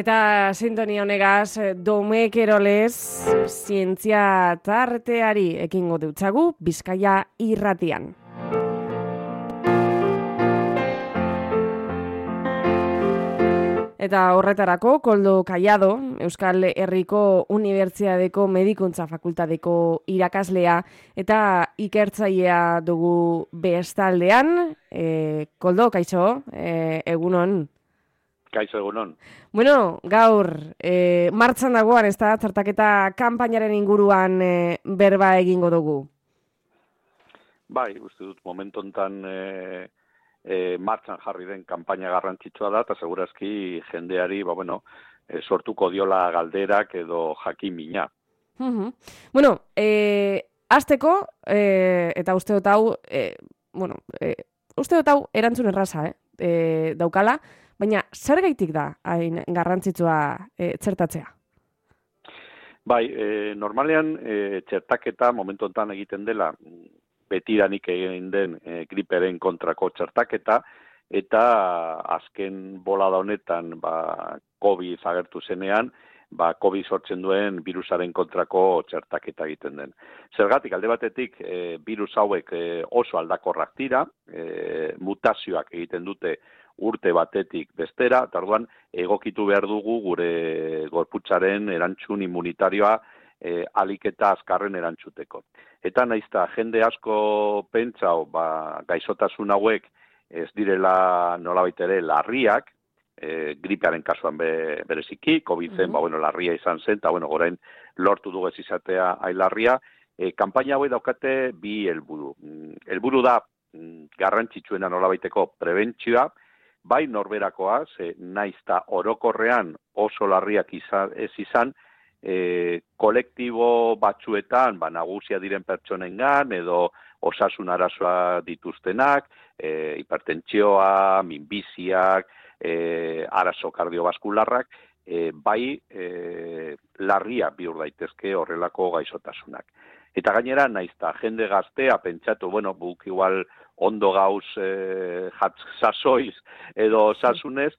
Eta sintonia honegaz, Domekerolez zientzia tarteari ekingo dutzagu Bizkaia irratian. Eta horretarako, Koldo Kaiado, Euskal Herriko Unibertsitateko Medikuntza Fakultateko irakaslea eta ikertzailea dugu bestaldean. Koldo, kaixo, egunon. Kaixo egunon. Bueno, gaur, martxan dagoan, ez da, txertaketa kanpainaren inguruan berba egingo dugu. Bai, uste dut momentu honetan martxan jarri den kanpaina garrantzitsua da, eta segurazki jendeari, sortuko diola galderak edo jakimina. Bueno, hasteko, eta uste dut hau, uste dut hau erantzun erraza, daukala, baina zergaitik da hain garrantzitsua txertatzea? Bai, normalean txertaketa momentu honetan egiten dela betiranik egin den griperen kontrako txertaketa, eta azken bolada honetan COVID agertu zenean, COVID sortzen duen virusaren kontrako txertaketa egiten den. Zergatik, alde batetik, virus hauek oso aldakorrak dira, mutazioak egiten dute urte batetik bestera, eta orduan egokitu behar dugu gure gorputzaren erantzun immunitarioa alik eta azkarren erantzuteko. Eta naizta jende asko pentsau gaixotasun hauek ez direla nolabait ere larriak, gripearen kasuan bereziki, COVID-en larria izan zen, eta gorain lortu dugu ez izatea ailarria. Kanpaina hauek daukate bi helburu. Helburu da garrantzitsuena nolabaiteko prebentzioa, bai norberakoa, naizta orokorrean oso larriak ez izan, kolektibo batzuetan, nagusia diren pertsonengan, edo osasun arazoa dituztenak, hipertentsioa, minbiziak, arazo kardiobaskularrak, bai larria bihur daitezke horrelako gaixotasunak. Eta gainera, naizta jende gaztea pentsatu, buk igual ondo gauz sasoiz edo sasunez,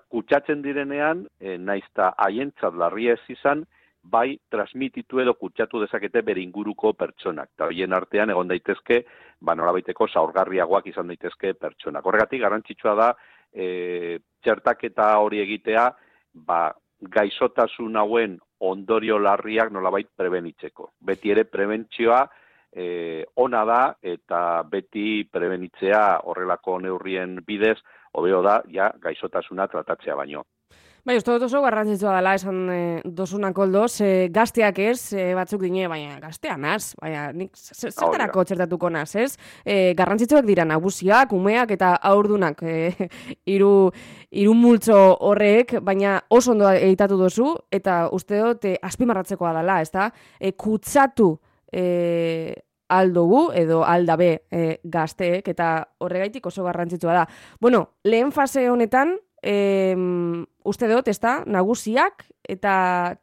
kutsatzen direnean, naizta haientzat larria ez izan, bai transmititu edo kutsatu dezakete bere inguruko pertsonak. Eta horien artean egon daitezke, nolabaiteko zaurgarriagoak izan daitezke pertsonak. Horregatik garrantzitsua da, txertaketa hori egitea, gaixotasun hauen ondorio larriak nolabait prebenitzeko. Beti ere prebentzioa ona da, eta beti prebenitzea horrelako neurrien bidez, hobeo da, gaixotasuna tratatzea baino. Bai, uste dut oso garrantzitsua dela esan dosunak Koldo, gazteak ez, batzuk dine, baina gaztea naz, baina nik zertarako txertatuko naz, ez? Garrantzitsuak dira nagusiak, umeak eta haurdunak hiru multzo horrek, baina oso ondo editatu dozu, eta uste dut azpimarratzekoa dela, ez da? Kutsatu aldugu edo aldabe gazteek, eta horregaitik oso garrantzitsua da. Bueno, lehen fase honetan, uste dut, ez da, nagusiak eta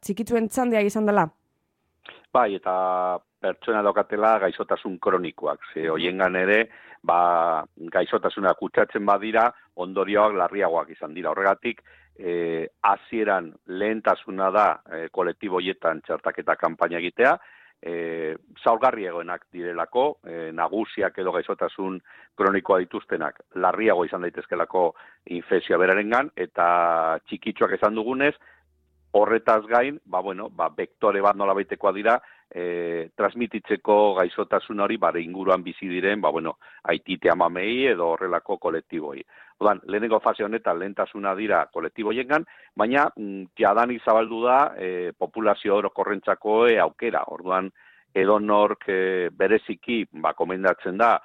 txikitzuen txandea izan dela? Bai, eta pertsona daukatela gaixotasun kronikoak. Hoiengan ere, gaixotasuna kutsatzen badira, ondorioak larriagoak izan dira. Horregatik, hasieran lehentasuna da kolektibo hoietan txertaketa kanpaina egitea, zaurgarri egoenak direlako, nagusiak edo gaixotasun kronikoa dituztenak larriago izan daitezkelako infekzioa berarengan, eta txikitsuak esan dugunez, horretaz gain, vektore bat nolabaitekoa dira, transmititzeko gaixotasun hori inguruan bizi diren, aitite amamei edo horrelako kolektiboi. Odan, lehenengo fase honetan lehentasuna dira kolektiboiengan, baina jadanik zabaldu da populazio orokorrentzako aukera. Orduan, edonork bereziki komendatzen da,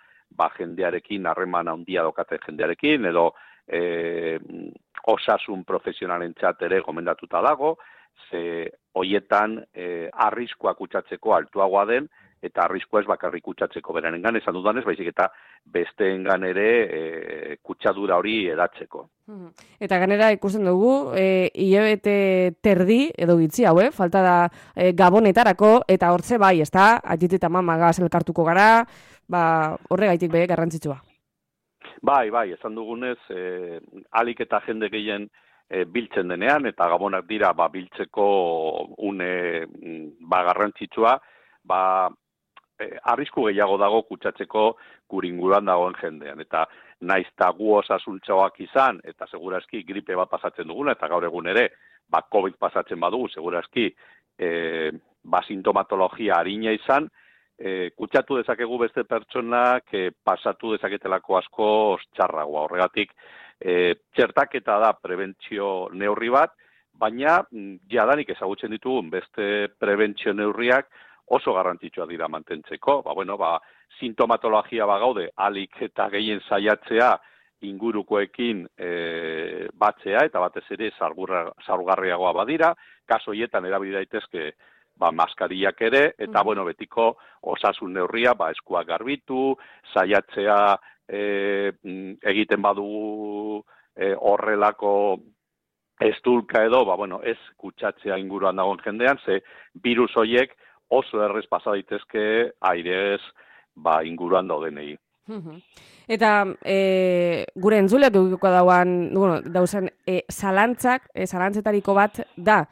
jendearekin harreman handia daukaten jendearekin, edo osasun profesionalentzat ere gomendatuta dago, hoietan arriskua kutsatzeko altuagoa den, eta arriskua ez bakarrik kutsatzeko berenengan, esan dudanez, baizik eta besteengan ere kutsadura hori edatzeko. Eta ganera ikusten dugu, hilabete terdi edo gitzi hau, falta da gabonetarako, eta hortze bai, ez da, aitite eta mamagaz elkartuko gara, horregaitik garrantzitsua. Bai, esan dugunez, alik eta jende gehien biltzen denean, eta gabonak dira biltzeko une garrantzitsua, arrisku gehiago dago kutsatzeko gure inguruan dagoen jendean. Eta naiz eta gu osasuntxoak izan, eta segurazki gripe bat pasatzen duguna, eta gaur egun ere, COVID pasatzen badugu, segurazki sintomatologia harina izan, kutsatu dezakegu beste pertsonak pasatu dezaketelako asko txarragoa. Horregatik, txertaketa da prebentzio neurri bat, baina jadanik ezagutzen ditugun beste prebentzio neurriak oso garrantzitsua dira mantentzeko. Sintomatologia gaude, alik eta gehien saiatzea ingurukoekin batzea, eta batez ere zaurgarriagoa badira, kaso hietan erabili daitezke maskariak ere, eta betiko osasun neurria, eskuak garbitu, saiatzea egiten badugu horrelako estulka edo, ez kutsatzea inguruan dagoen jendean, ze virus horiek oso errez pasa daitezke airez inguruan daudenei. Eta gure entzuleak edukiko dauzan zalantzetariko bat da,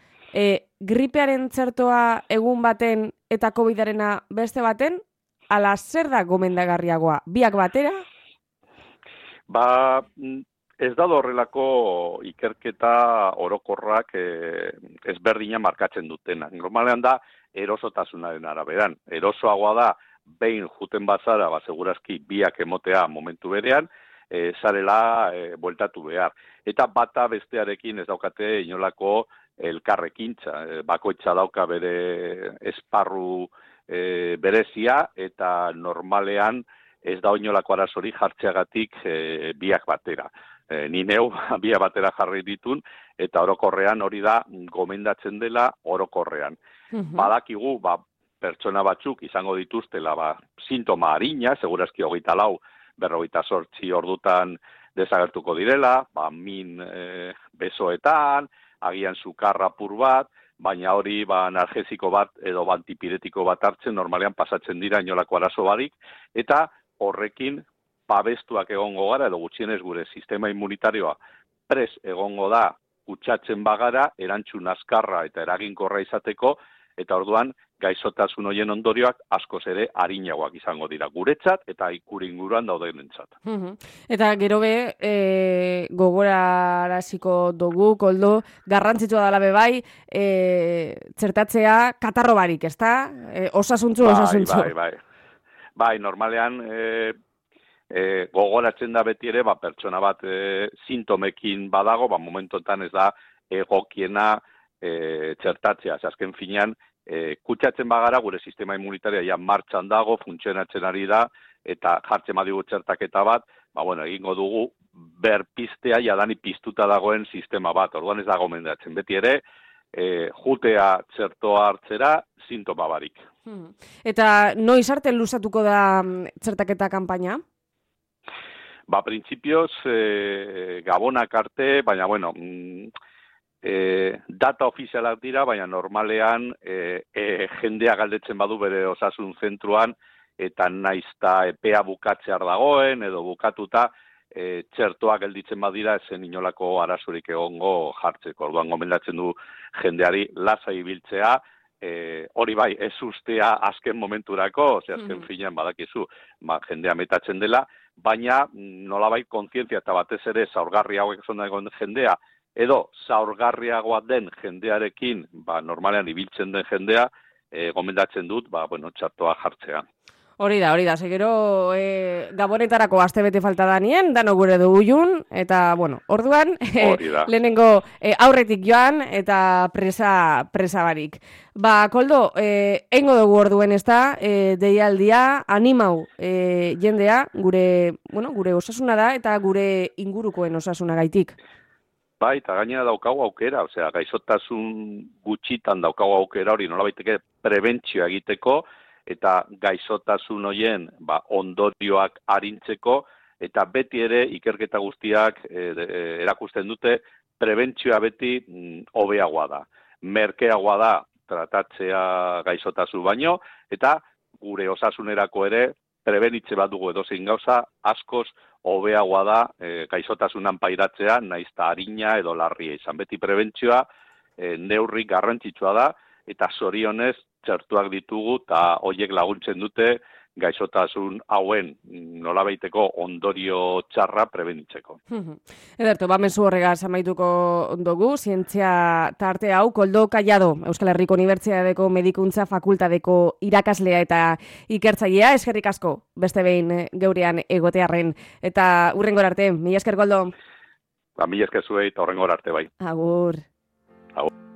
gripearen txertoa egun baten eta COVID-arena beste baten, ala zer da gomendagarriagoa? Biak batera? Ez da horrelako ikerketa orokorrak ezberdina markatzen dutenak. Normalean da erosotasunaren araberan. Erosoagoa da behin juten bazara, segurazki biak emotea momentu berean, zarela bueltatu behar. Eta bata bestearekin ez daukate inolako elkarrekintza. Bakoitza dauka bere esparru berezia, eta normalean ez da inolako arazori jartzeagatik biak batera. Ni neu biak batera jarri ditun, eta orokorrean hori da gomendatzen dela orokorrean. Badakigu, pertsona batzuk izango dituztela sintoma harina, segurazki 24, 48 ordutan desagertuko direla, min besoetan, agian sukar apur bat, baina hori analgesiko bat edo antipiretiko bat hartzen normalean pasatzen dira inolako arazo barik, eta horrekin babestuak egongo gara, edo gutxienez gure sistema immunitarioa pres egongo da kutsatzen bagara, erantzun azkarra eta eraginkorra izateko, eta orduan gaixotasun horien ondorioak askoz ere arinagoak izango dira guretzat eta gure inguruan daudenentzat. Eta gero gogoraraziko dugu, Koldo, garrantzitsua dela bai, txertatzea katarro barik, ezta? Osasuntzu. Bai, normalean gogoratzen da beti ere, pertsona bat sintomekin badago, momentotan ez da egokiena txertatzea. Azken finean, kutsatzen bagara, gure sistema immunitaria martxan dago, funtzionatzen ari da, eta jartzen badigu txertaketa bat, egingo dugu berpiztea jadani piztuta dagoen sistema bat. Orduan ez da gomendatzen. Beti ere, jutea txertoa hartzera, sintoma barik. Eta noiz arte luzatuko da txertaketa kanpaina? Printzipioz, gabonak arte, baina, data ofizialak dira, baina normalean jendea galdetzen badu bere osasun zentruan, eta naizta epea bukatzear dagoen, edo bukatuta, txertoa gelditzen badira, ezen inolako arazorik egongo jartzeko. Orduan gomendatzen du jendeari lasai ibiltzea, hori bai, ez ustea azken momenturako, azken finean badakizu, jendea metatzen dela, baina nolabait kontzientzia eta batez ere zaurgarri hauek zondagoen jendea, edo zaurgarriagoa den jendearekin, normalean ibiltzen den jendea, gomendatzen dut, txertoa jartzea. Hori da, segero gabonetarako astebete falta da nien, dano gure dugu jun, eta, orduan, lehenengo aurretik joan, eta presa barik. Koldo, eingo dugu orduen ez da, deialdia, animau jendea, gure osasuna da, eta gure ingurukoen osasuna gaitik. Eta gainera daukagu aukera, gaixotasun gutxitan daukagu aukera hori, nolabaiteke prebentzioa egiteko, eta gaixotasun horien ondorioak arintzeko, eta beti ere ikerketa guztiak erakusten dute prebentzioa beti hobeagoa da. Merkeagoa da tratatzea gaixotasun baino, eta gure osasunerako ere prebenitze bat dugu edozein gauza askoz hobeagoa da gaixotasunan pairatzea, naiz eta arina edo larria izan. Beti prebentzioa neurri garrantzitsua da, eta zorionez txertuak ditugu, eta horiek laguntzen dute gaixotasun hauen nolabaiteko ondorio txarra prebenitzeko. Ederto, mezu horregaz amaituko dugu, zientzia tarte hau, Koldo Kallado, Euskal Herriko Unibertsitateko Medikuntza Fakultateko irakaslea eta ikertzailea, eskerrik asko, beste behin geurean egotearren, eta hurrengor arte, mila esker, Koldo? Mila esker zuei, eta hurrengor arte bai. Agur. Agur.